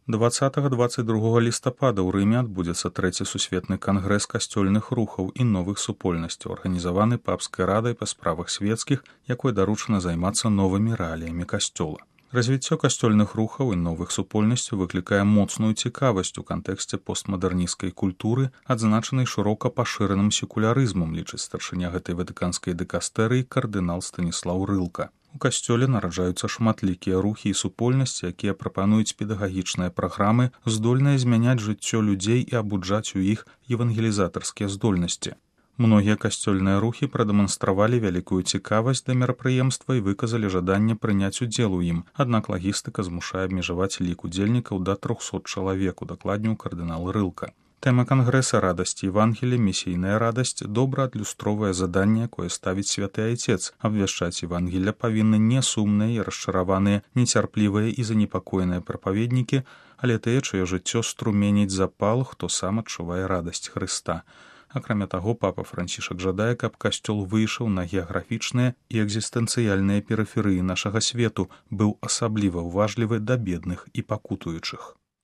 20-22 лістапада ў Рыме адбудзецца трэці сусветны кангрэс касцёльных рухаў і новых супольнасцяў, арганізаваны папскай радай па справах свецкіх, якой даручана займацца новымі рэаліямі касцёла. Развіццё касцёльных рухаў і новых супольнасцяў выклікае моцную цікавасць у кантэксце постмадэрнісцкай культуры, адзначанай шырока пашыраным секулярызмам, лічыць старшыня гэтай ватыканскай дыкастэрыі кардынал Станіслаў Рылка. У касцёле нараджаюцца шматлікія рухі і супольнасці, якія прапануюць педагагічныя праграмы, здольныя змяняць жыццё людзей і абуджаць у іх евангелізатарскія здольнасці. Многія касцёльныя рухі прадэманстравалі вялікую цікавасць да мерапрыемства і выказалі жаданне прыняць удзел у ім, аднак лагістыка змушае абмежаваць лік удзельнікаў да 300 чалавек, удакладніў кардынал Рылка. Тэма кангрэса «Радасць Евангелія. Місійная радасць» добра адлюстроўвае заданне, якое ставіць святы айцец. Абвяшчаць Евангелля павінны не сумныя і расчараваныя, нецярплівыя і занепакоеныя прапаведнікі, але тыя, чыё жыццё струменіць запал, хто сам адчувае радасць Хрыста. Акрамя таго, папа Францішак жадае, каб касцёл выйшаў на геаграфічныя і экзістэнцыяльныя перыферыі нашага свету, быў асабліва ўважлівы да бедных і пакутуючых.